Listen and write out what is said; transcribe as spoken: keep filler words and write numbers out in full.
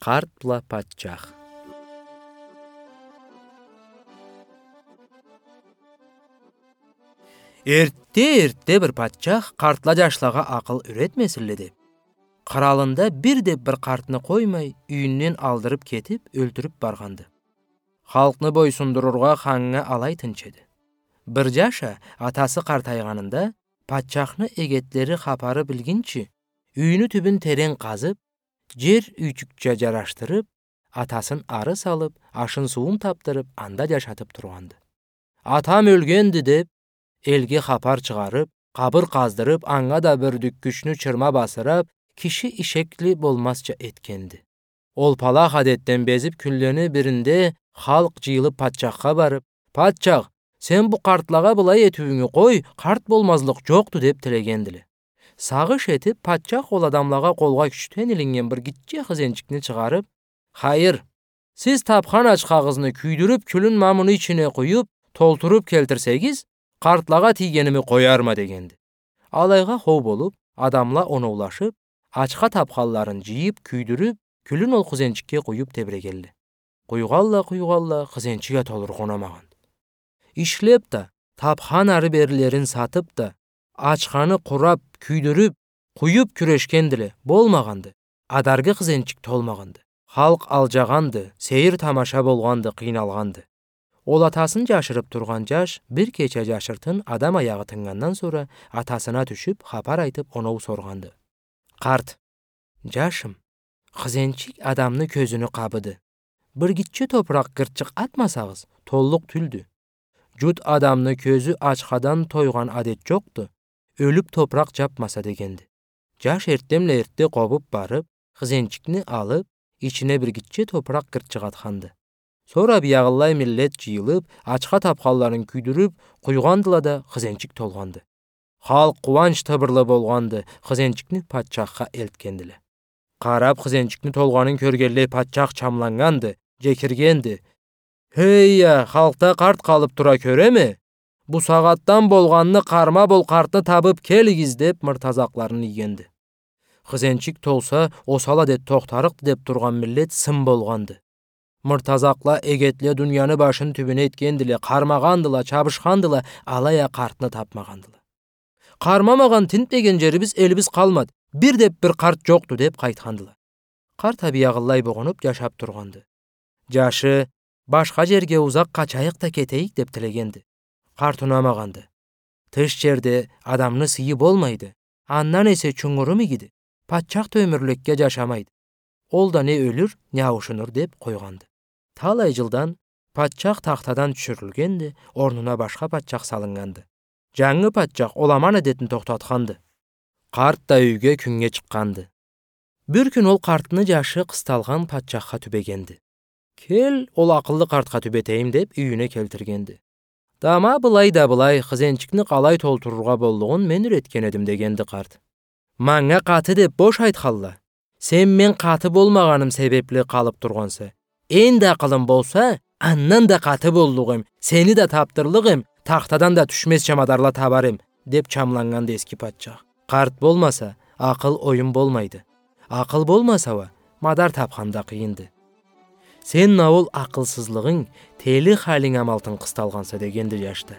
Къарт бла патчах. Эртте-эртте бир патчах къартла джашлагъа акъыл юретмесинле деп, къралында бир да бир къартны къоймай, юйюнден алдырып кетип, ёлтюрюп баргъанды. Халкъны бойсундурургъа ханнга алай тынч эди. Бир джаш а, атасы къартайгъанында, патчахны эгетлери хапары билгинчи, юйню тюбюн терен къазып, джер юйчюкча джарашдырып, атасын ары салып, ашын-сууун тапдырып, анда джашатып тургъанды. «Атам ёлгенди», — деп, элге хапар чыгъарып, къабыр къаздырып, анга да бюрдюккючню чырма басдырып, киши ишекли болмазча этгенди. Ол палах адетден безип, кюнлени биринде халкъ джыйылып патчахха барып: «Патчах, сен бу къартлагъа былай этиуюнгю къой, къарт болмазлыкъ джокъду», — деп тилегендиле. Сагъыш этип, патчах ол адамлагъа къолгъа кючден илиннген бир гитче хызенчикни чыгъарып: «Хайыр, сиз тапхан ачхагъызны кюйдюрюп, кюлюн ма муну ичине къуюп, толтуруп келтирсегиз, къартлагъа тийгеними къоярма», — дегенди. Алайгъа хоу болуп, адамла оноулашып, ачха тапханларын джыйып, кюйдюрюп, кюлюн ол хызенчикге къуюп тебирегенле. Къуйгъанла, къуйгъанла, хызенчик а толургъа унамагъанды. Ишлеп да, тапхан ары-берилерин сатып да, ачханы къурап, кюйдюрюп, къуюп кюрешгендиле, болмагъанды. Адаргы хызенчик толмагъанды. Халкъ алджагъанды, сейир-тамаша болгъанды, къыйналгъанды. Ол атасын джашырып тургъан джаш бир кече джашыртын адам аягъы тыннгандан сора атасына тюшюп, хапар айтып, оноу соргъанды. Къарт: «Джашым, хызенчик адамны кёзюню къабыды. Бир гитче топуракъ гыртчыкъ атмасагъыз, толлукъ тюлдю. Джут адамны кёзю ачхадан тойгъан адет джокъду, ёлюп топуракъ джапмаса», — дегенди. Джаш эртденбла эртде къобуп барып, хызенчикни алып, ичине бир гитче топуракъ гыртчыкъ атханды. Сора биягъылай миллет джыйылып, ачха тапханларын кюйдюрюп къуйгъандыла да, хызенчик толгъанды. Халкъ къууанч тыбырлы болгъанды, хызенчикни патчахха элтгендиле. Къарап, хызенчикни толгъанын кёргенлей, патчах чамланнганды, джекиргенди: «Хей я, халкъда къарт къалып тура кёреме? Бусагъатдан болгъанны, къарма бол къартны табып келигиз», — деп, мыртазакъларын ийгенди. Хызенчик толса, осал адет тохтарыкъды деп тургъан миллет сын болгъанды. Мыртазакъла, эгетле дунияны башын тюбюне этгендиле, къармагъандыла, чабышхандыла, алай а къартны тапмагъандыла. «Къармамагъан тинтмеген джерибиз, элибиз къалмады, бир да бир къарт джокъду», — деп къайтхандыла. Къарт а биягъылай бугъунуп джашап тургъанды. Джашы: «Башха джерге узакъ къачайыкъ да кетейик», — деп тилегенди. Къарт унамагъанды. «Тыш джерде адамны сыйы болмайды, андан эсе чунгурум игиди, патчах да ёмюрлекге джашамайды. Ол да не ёлюр, не ауушунур», — деп къойгъанды. Талай джылдан патчах тахтадан тюшюрюлгенди, орнуна башха патчах салыннганды. Джангы патчах ол аман адетни тохтатханды. Къарт да юйге, кюннге чыкъгъанды. Бир кюн ол къартны джашы къысталгъан патчахха тюбегенди. «Кел, ол акъыллы къартха тюбетейим», — деп, юйюне келтиргенди. «Да ма былай да былай, хызенчикни къалай толтурургъа боллугъун мен юретген эдим», — дегенди къарт. «Манга къаты деп бош айтханла. Сен мен къаты болмагъаным себепли къалып тургъанса. Энди акъылым болса, андан да къаты боллукъ эм, сени да тапдырлыкъ эм, тахтадан да тюшмезча мадарла табар эм», — деп чамланнганды эски патчах. «Къарт болмаса, акъыл, оюм болмайды. Акъыл болмаса уа, мадар тапхан да къыйынды». «Сен ма ол акъылсызлыгъынг, тели халинг амалтын къысталгъанса», — дегенди джаш да.